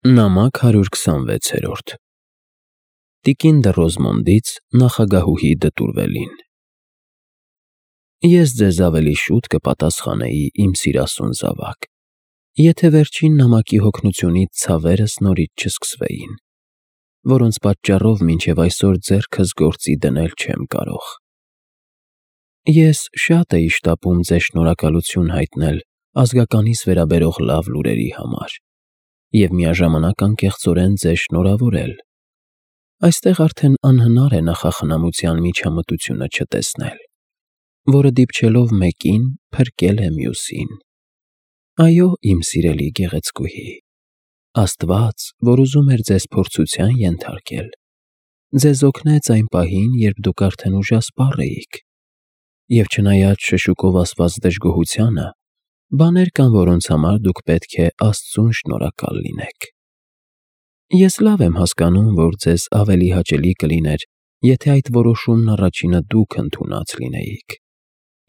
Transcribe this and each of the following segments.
Նամակ 126 Տիկին դը Ռոզմոնդից նախագահուհի դտուրվելին։ Ես ձեզ ավելի շուտ կպատասխանեի, իմ սիրասուն զավակ, եթե վերջին նամակի հոգնությունից ցավերս նորից չսկսվեին, որոնց պատճառով մինչև այսօր ձեռքս գործի դնել չեմ կարող։ Ես շատ էի շտապում ձեզ շնորհակալություն հայտնել ազգականիս վերաբերող լավ լուրերի համար և միաժամանակ անկեղծորեն ձեզ շնորհավորել։ Այստեղ արդեն անհնար է նախախնամության միջամտությունը չտեսնել, որը դիպչելով մեկին փրկել է մյուսին։ Այո, իմ սիրելի գեղեցկուհի, Աստված, որ ուզում էր ձեզ փորձության ենթարկել, ձեզ օգնեց այն պահին, երբ դուք արդեն ուժասպառ էիք, և չնայած շշուկով ասված դժգոհությանը, բաներ կան, որոնց համար դուք պետք է Աստծուն շնորհակալ լինեք։ Ես լավ եմ հասկանում, որ ձեզ ավելի հաճելի կլիներ, եթե այդ որոշումն առաջինը դուք ընդունած լինեիք,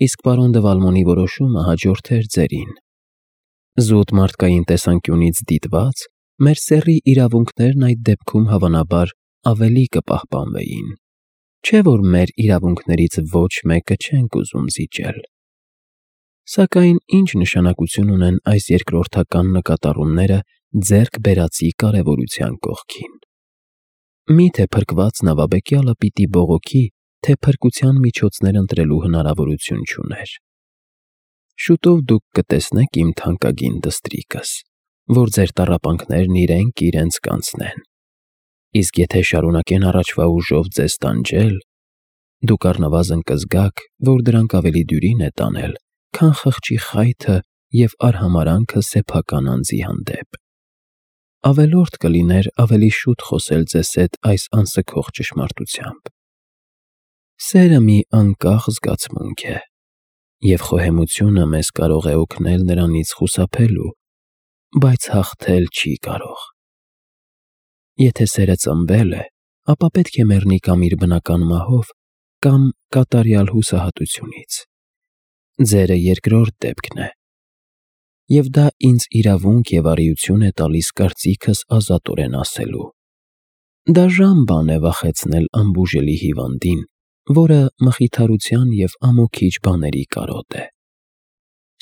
իսկ պարոն դը Վալմոնի որոշումը հաջորդեր ձերին։ Զուտ մարդկային տեսանկյունից դիտված, մեր սեռի իրավունքներն այդ դեպքում հավանաբար ավելի կպահպանվեին, չէ՞ որ մեր իրավունքներից ոչ մեկը չենք ուզում զիջել։ Սակայն ինչ նշանակություն ունեն այս երկրորդական նկատառումները ձեռք բերածի կարևորության կողքին։ Միթե փրկված նավաբեկյալը պիտի բողոքի, թե փրկության միջոցներ ընտրելու հնարավորություն չուներ։ Շուտով դուք կտեսնեք իմ թանկագին դստրիկս, որ ձեր տառապանքներն իրենք իրենց կանցնեն, իսկ եթե շարունակեն առաջվա ուժով ձեզ տանջել, դուք առնվազն կզգաք, որ դրանք ավելի դյուրին է տանել, քան խղճի խայթը և արհամարհանքը սեփական անձի հանդեպ։ Ավելորդ կլիներ ավելի շուտ խոսել ձեզ հետ այս անսգող ճշմարտությամբ։ Սերը մի անկախ զգացմունք է, և խոհեմությունը մեզ կարող է օգնել նրանից խուսափելու, բայց հաղթել չի կարող։ Եթե սերը ծնվել է, ապա պետք է մեռնի կամ իր բնական մահով, կամ կատարյալ հուսահատությունից։ Ձերը երկրորդ դեպքն է, և դա ինձ իրավունք և առիություն է տալիս կարծիքս ազատորեն ասելու։ Դաժան բան է վախեցնել անբուժելի հիվանդին, որը մխիթարության և ամոքիչ բաների կարոտ է։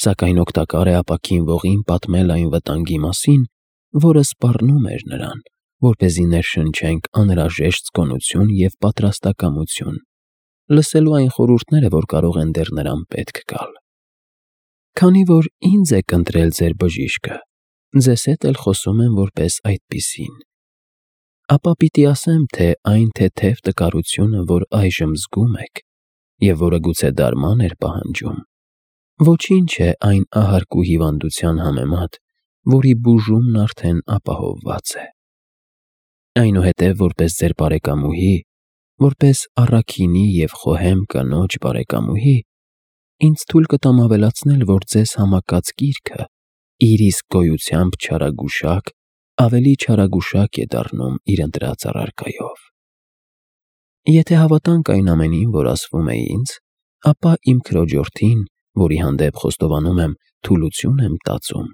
Սակայն օգտակար է ապաքին ողին պատմել այն վտանգի մասին, որը սպառնում էր նրան, որպեսզի ներշնչենք անհրաժեշտ զգոնություն և պատրաստակամություն, լսելու այն խորհուրդները, որ կարող են դեռ նրան պետք գալ։ Քանի որ ինձ եք ընտրել ձեր բժիշկը, ձեզ հետ էլ խոսում եմ որպես այդպիսին, ապա պիտի ասեմ, թե այն թեթև տկարությունը, որ այժմ զգում եք, և որը գուցե դարման էր պահանջում, ոչինչ է այն ահարկու հիվանդության համեմատ, որի բուժումն արդեն ապահովված է։ Այնուհետև որպես ձեր բարեկամուհի, որպես առաքինի և խոհեմ կնոջ բարեկամուհի, ինձ թույլ կտամ ավելացնել, որ ձեզ համակած գիրքը իր իսկ գոյությամբ չարագուշակ, ավելի չարագուշակ է դառնում իր ընտրած առարկայով։ Եթե հավատանք այն ամենին, որ ասվում է ինձ, ապա իմ քրոջորդին, որի հանդեպ խոստովանում եմ թուլություն եմ տածում,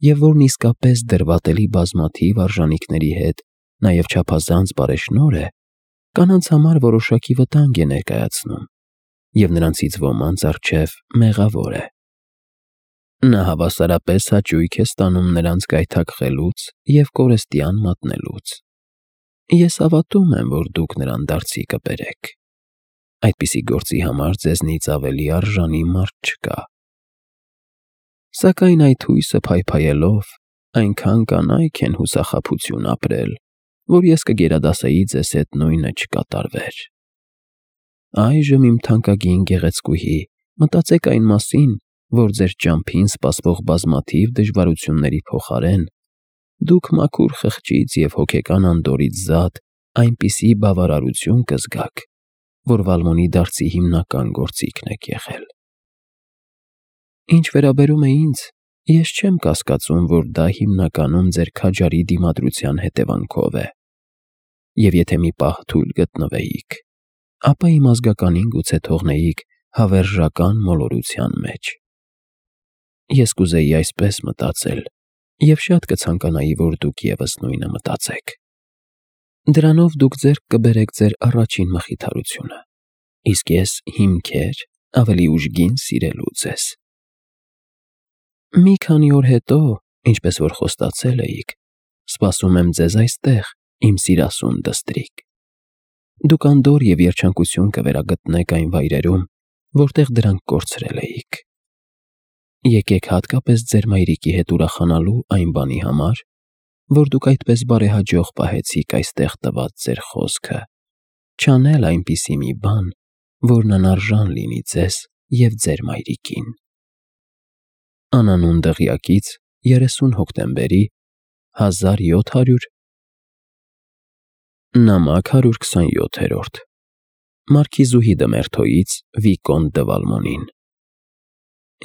և որն իսկապես դրվատելի բազմաթիվ արժանիքների հետ նաև չափազանց բարեշնորհ է, կանանց համար որոշակի վտանգ է ներկայացնում, և նրանցից ոմանց առջև մեղավոր է։ Նա հավասարապես հաճույք է ստանում նրանց գայթակղելուց և կորստյան մատնելուց։ Ես հավատում եմ, որ դուք նրան դարձի կբերեք։ Այդպիսի գործի համար ձեզնից ավելի արժանի մարդ չկա։ Սակայն այդ հույսը փայփայելով, այնքան կանայք են հուսախաբություն ապրել, որ ես կգերադասեի ձեզ հետ նույնը չկատարվեր։ Այժմ, իմ թանկագին գեղեցկուհի, մտածեք այն մասին, որ ձեր ճամփին սպասվող բազմաթիվ դժվարությունների փոխարեն դուք մաքուր խղճից և հոգեկան անդորրից զատ այնպիսի բավարարություն կզգաք, որ Վալմոնի դարձի հիմնական գործիքն եք եղել։ Ինչ վերաբերում է ինձ, ես չեմ կասկածում, որ դա հիմնականում ձեր քաջարի դիմադրության հետևանքով է, և եթե մի պահ թույլ գտնվեիք, ապա իմ ազգականին գուցե թողնեիք հավերժական մոլորության մեջ։ Ես կուզեի այսպես մտածել, Եվ շատ կցանկանայի, որ դուք ևս նույնը մտածեք։ Դրանով դուք ձեռք կբերեք ձեր առաջին մխիթարությունը, իսկ ես հիմքեր ավելի ուժգին սիրելու ձեզ։ Մի քանի օր հետո, ինչպես որ խոստացել էիք, սպասում եմ ձեզ այստեղ, իմ սիրասուն դստրիկ։ Դուք անդորր և երջանկություն կվերագտնեք այն վայրերում, որտեղ դրանք կորցրել էիք։ Եկեք հատկապես ձեր մայրիկի հետ ուրախանալու այն բանի համար, որ դուք այդպես բարեհաջող պահեցիք այստեղ տված ձեր խոսքը, չանել այնպիսի մի բան, որն անարժան լինի ձեզ և ձեր մայրիկին։ Անանուն դղյակից 30 հոկտեմբերի 1700 նամակ 127-րդ Մարքիզուհի Դմերթոյից Վիկոնտ դը Վալմոնին։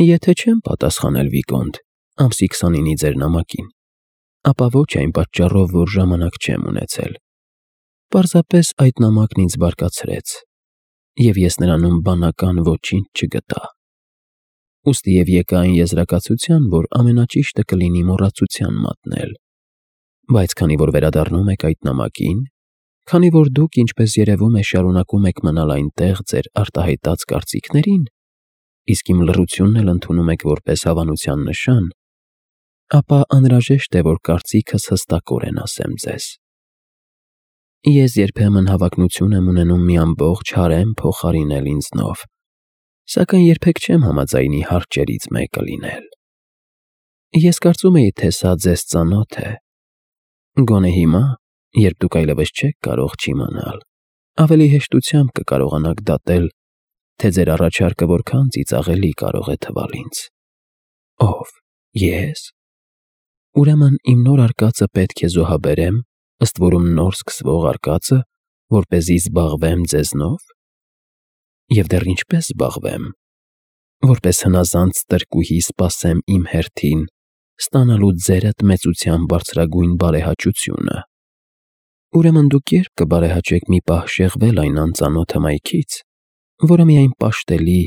Եթե չեմ պատասխանել Վիկոնտ, ամսի 29-ի ձեր նամակին, ապա ոչ այն պատճառով, որ ժամանակ չեմ ունեցել։ Պարզապես այդ նամակն ինձ բարկացրեց, և ես նրանում բանական ոչինչ չգտա։ Ուստի և եկա այն եզրակացության, որ ամենաճիշտը կլինի մոռացության մատնել։ Բայց քանի որ վերադառնում եք այդ նամակին, քանի որ դուք, ինչպես երևում է, շարունակում եք մնալ այնտեղ ձեր արտահայտած կարծիքներին, իսկ իմ լռությունն էլ ընդունում եք որպես հավանության նշան, ապա անհրաժեշտ է, որ կարծիքս հստակորեն ասեմ ձեզ։ Ես երբեմն հավակնություն եմ ունենում մի ամբողջ հարեմ փոխարինել ինձնով, սակայն երբեք չեմ համաձայնի հարճերից մեկը լինել։ Ես կարծում էի, թե սա ձեզ ծանոթ է։ Գոնե հիմա, երբ դուք այլևս չեք կարող չիմանալ, ավելի հեշտությամբ կկարողանաք դատել, թե ձեր առաջարկը որքան ծիծաղելի կարող է թվալ ինձ։ Ով, ես։ Ուրեմն իմ նոր արկածը պետք է զոհաբերեմ, ըստ որում նոր սկսվող արկածը, որպեսզի զբաղվեմ ձեզնով։ Եվ դեռ ինչպես զբաղվեմ, որպես հնազանդ ստրկուհի սպասեմ իմ հերթին, ստանալու ձերդ մեծության բարձրագույն բարեհաճությունը։ Ուրեմն դուք երբ կբարեհաճեք մի պահ շեղվել այն անծանոթ հմայքից, որը միայն պաշտելի,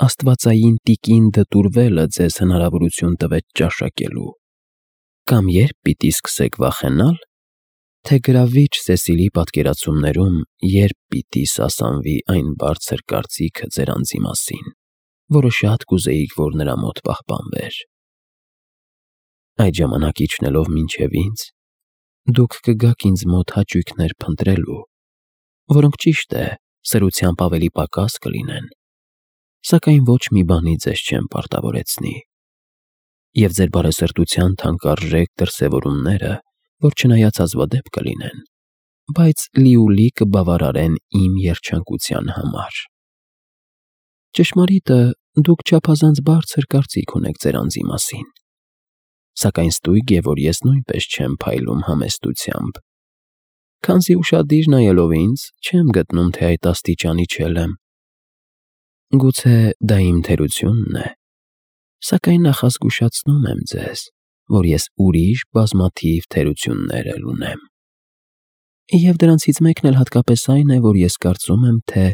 աստվածային տիկին դտուրվելը ձեզ հնարավորություն տվեց ճաշակելու, կամ երբ պիտի սկսեք վախենալ, թե գրավիչ Սեսիլի պատկերացումներում երբ պիտի սասանվի այն բարձր կարծիքը ձեր անձի մասին, որը շատ կուզեիք, որ նրա մոտ պահպանվեր։ Այդ ժամանակ իջնելով մինչև ինձ, դուք կգաք ինձ մոտ հաճույքներ փնտրելու, որոնք ճիշտ է, սրությամբ ավելի պակաս կլինեն, սակայն ոչ մի բանի ձեզ չեմ պարտավորեցնի։ Եվ ձեր բարեսրտության թանկարժեք դրսևորումները, որ չնայած հազվադեպ կլինեն, բայց լիուլի կբավարարեն իմ երջանկության համար։ Ճշմարիտը, դուք չափազանց բարձր կարծիք ունեք ձեր անձի մասին, սակայն ստույգ է, որ ես նույնպես չեմ փայլում համեստությամբ։ Քանզի ուշադիր նայելով ինձ, չեմ գտնում, թե այդ աստիճանի չելեմ։ Գուցե դա իմ թերությունն է, սակայն նախազգուշացնում եմ ձեզ, որ ես ուրիշ բազմաթիվ թերություններ էլ ունեմ։ Եվ դրանցից մեկն էլ հատկապես այն է, որ ես կարծում եմ, թե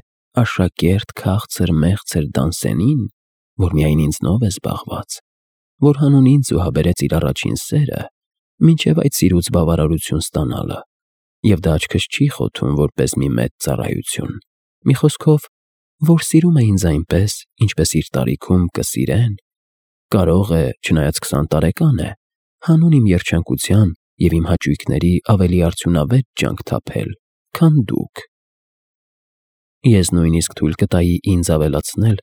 աշակերտ քաղցր մեղցր Դանսենին, որ միայն ինձնով է զբաղված, որ հանուն ինձ զոհաբերեց իր առաջին սերը, մինչև այդ սիրուց բավարարություն ստանալը, և դա աչքս չի խոթում որպես մի մեծ ծառայություն, մի խոսքով, որ սիրում է ինձ այնպես, ինչպես իր տարիքում կսիրեն, կարող է, չնայած 20 տարեկան է, հանուն իմ երջանկության և իմ հաճույքների ավելի արդյունավետ ջանք թափել, քան դուք։ Ես նույնիսկ թույլ կտայի ինձ ավելացնել,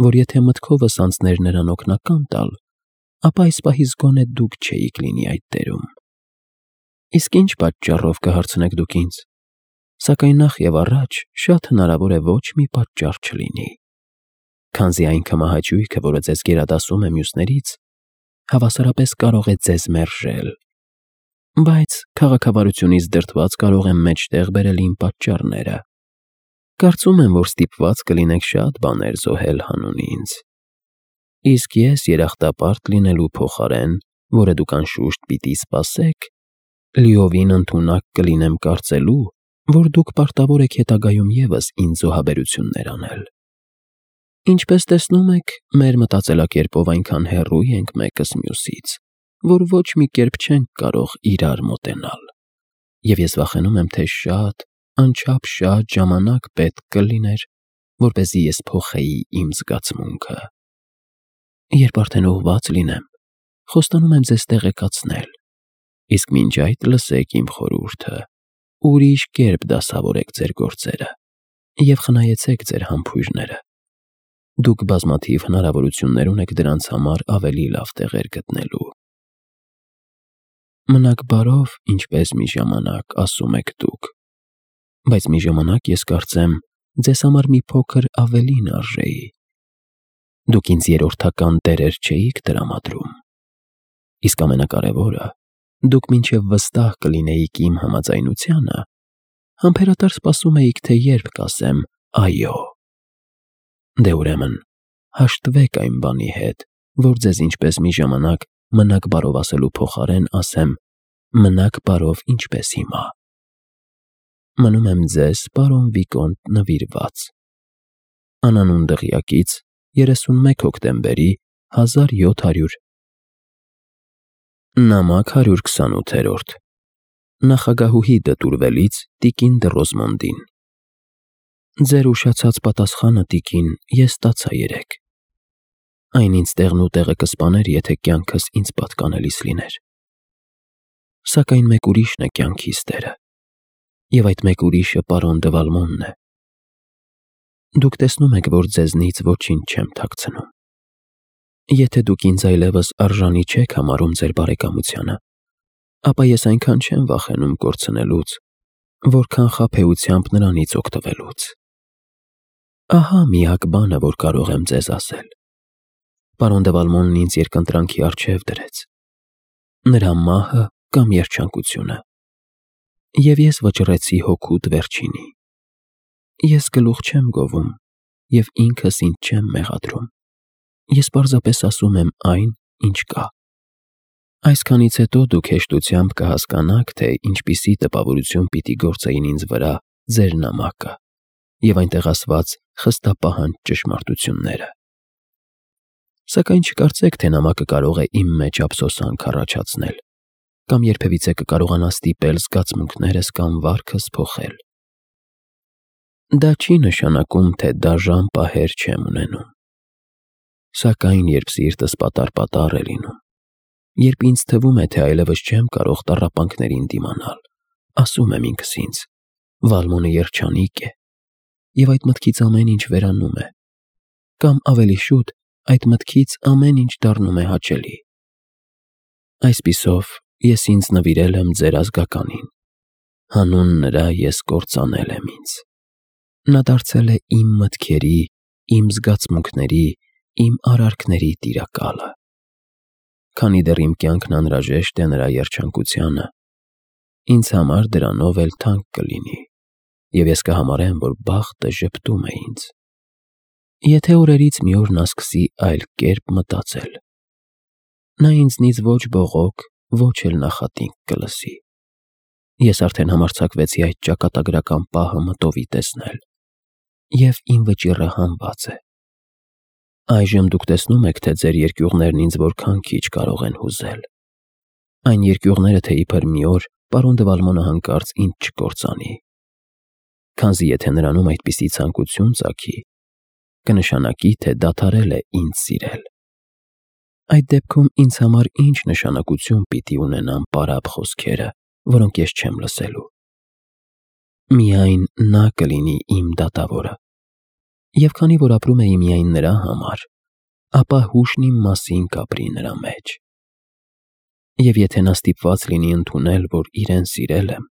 որ եթե մտքովս անցներ նրան օգնական տալ, ապա այս պահից գոնե դուք չէիք լինի այդ դերում։ Իսկ ինչ պատճառով կհարցնեք դուք ինձ, սակայն նախ և առաջ շատ հնարավոր է ոչ մի պատճառ չլինի, քանզի այն քմահաճույքը, որը ձեզ գերադասում է մյուսներից, հավասարապես կարող է ձեզ մերժել, բայց քաղաքավարությունից դրդված կարող եմ մեջտեղ բերել իմ պատճառները։ Կարծում եմ, որ ստիպված կլինեք շատ բաներ զոհել հանուն ինձ։ Իսկ ես երախտապարտ լինելու փոխարեն, որը դուք անշուշտ պիտի սպասեք, լիովին ընդունակ կլինեմ կարծելու, որ դուք պարտավոր եք հետագայում ևս ինձ զոհաբերություններ անել։ Ինչպես տեսնում եք, մեր մտածելակերպով այնքան հեռու ենք մեկս մյուսից, որ ոչ մի կերպ չենք կարող իրար մոտենալ, և ես վախենում եմ, թե շատ, անչափ շատ ժամանակ պետք կլիներ, որպեսզի ես փոխեի իմ զգացմունքը։ Երբ արդեն ուղղված լինեմ, խոստանում եմ ձեզ տեղեկացնել, իսկ մինչ այդ լսեք իմ խորհուրդը, ուրիշ կերպ դասավորեք ձեր գործերը և խնայեցեք ձեր համբույրները։ Դուք բազմաթիվ հնարավորություններ ունեք դրանց համար ավելի լավ տեղեր գտնելու։ Մնաք բարով, ինչպես մի ժամանակ ասում եք դուք, բայց մի ժամանակ ես կարծեմ ձեզ համար մի փոքր ավելին արժեի։ Դուք ինձ երրորդական տերեր չէիք տրամադրում, իսկ ամենակարևորը, դուք մինչև վստահ կլինեիք իմ համաձայնությանը, համբերատար սպասում էիք, թե երբ կասեմ այո։ Դե ուրեմն, հաշտվեք այն բանի հետ, որ ձեզ ինչպես մի ժամանակ մնաք բարով ասելու փոխարեն ասեմ մնաք բարով ինչպես հիմա։ Մնում եմ ձեզ, պարոն Վիկոնտ, նվիրված։ Անանուն դղյակից 31 հոկտեմբերի 1700 Նամակ 128 Նախագահուհի դտուրվելից տիկին Դռոզմոնդին։ Ձեր ուշացած պատասխանը, տիկին, ես ստացա երեկ։ Այն ինձ տեղն ու տեղը կսպաներ, եթե կյանքս ինձ պատկանելիս լիներ։ Սակայն մեկ ուրիշն է կյանքիս տերը, և այդ մեկ ուրիշը պարոն Դվալմոնն է։ Դուք տեսնում եք, որ ձեզնից ոչինչ չեմ թաքցնում։ Եթե դուք ինձ այլևս արժանի չեք համարում ձեր բարեկամությանը, ապա ես այնքան չեմ վախենում կորցնելուց, որքան խաբեությամբ նրանից օգտվելուց։ Ահա միակ բանը, որ կարող եմ ձեզ ասել։ Պարոն Դվալմոնն ինձ երկընտրանքի առջև դրեց։ Նրա մահը կամ երջանկությունը։ Եվ ես վճռեցի հոգուտ վերջինի։ Ես գլուխ չեմ գովում և ինքս ինձ չեմ մեղադրում։ Ես պարզապես ասում եմ այն, ինչ կա։ Այսքանից հետո դուք հեշտությամբ կհասկանաք, թե ինչպիսի տպավորություն պիտի գործեին ինձ վրա ձեր նամակը և այնտեղ ասված խստապահանջ ճշմարտությունները։ Սակայն չկարծեք, թե նամակը կարող է իմ մեջ ափսոսանք առաջացնել կամ երբևիցե կկարողանա ստիպել զգացմունքներս կամ վարքս փոխել։ Դա չի նշանակում, թե դաժան պահեր չեմ ունենում։ Սակայն երբ սիրտս պատառ է լինում, երբ ինձ թվում է, թե այլևս չեմ կարող տառապանքներին դիմանալ, ասում եմ ինքս ինձ. Վալմոնը երջանիկ է, և այդ մտքից ամեն ինչ վերանում է, կամ ավելի շուտ, այդ մտքից ամեն ինչ դառնում է հաճելի։ Այսպիսով, ես ինձ նվիրել եմ ձեր ազգականին, հանուն նրա ես կործանել եմ ինձ։ Նա դարձել է իմ մտքերի, իմ զգացմունքների, իմ արարքների տիրակալը։ Քանի դեռ իմ կյանքն անհրաժեշտ է նրա երջանկությանը, ինձ համար դրանով էլ թանկ կլինի, և ես կհամարեմ, որ բախտը ժպտում է ինձ։ Եթե օրերից մի օր նա սկսի այլ կերպ մտածել, նա ինձնից ոչ բողոք, ոչ էլ նախատինք կլսի։ Ես արդեն համարձակվեցի այդ ճակատագրական պահը մտովի տեսնել, և իմ վճիռը հանված է։ Այժմ դուք տեսնում եք, թե ձեր երկյուղներն ինձ որքան քիչ կարող են հուզել։ Այն երկյուղները, թե իբր մի օր պարոն Դվալմոնը հանկարծ ինձ չկործանի։ Քանզի եթե նրանում այդպիսի ցանկություն ծագի, կնշանակի, թե դադարել է ինձ սիրել։ Այդ դեպքում ինձ համար ինչ նշանակություն պիտի ունենան պարապ խոսքերը, որոնք ես չեմ լսելու։ Միայն նա կլինի իմ դատավորը։ Եվ քանի որ ապրում էի միայն նրա համար, ապա հուշն իմ մասին կապրի նրա մեջ։ Եվ եթե նա ստիպված լինի ընդունել, որ իրեն սիրել եմ,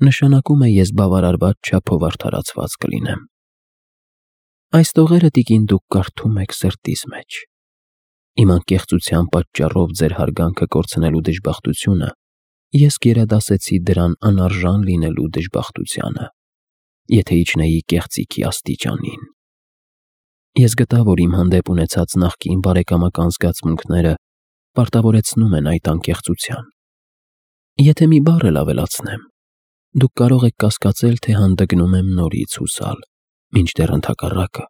նշանակում է ես բավարարված չափով արդարացված կլինեմ։ Այս տողերը, տիկին, դուք կարդում եք սրտիս մեջ։ Իմ անկեղծության պատճառով ձեր հարգանքը կորցնելու դժբախտությունը ես գերադասեցի դրան անարժան լինելու դժբախտությանը, եթե իջնեի կեղծիքի աստիճանին։ Ես գտա, որ իմ հանդեպ ունեցած նախկին բարեկամական զգացմունքները պարտավորեցնում են այդ անկեղծության։ Եթե մի բառ էլ ավելացնեմ, դուք կարող եք կասկածել, թե հանդգնում եմ նորից հուսալ, մինչդեռ ընդհակառակը,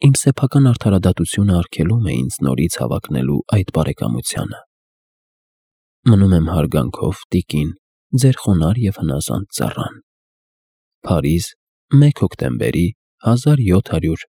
իմ սեփական արդարադատությունը արգելում է ինձ նորից հավակնելու այդ բարեկամությանը։ մնում եմ հարգանքով, տիկին, ձեր խոնարհ և հնազանդ ծառան։ Փարիզ, 1 հոկտեմբերի 1700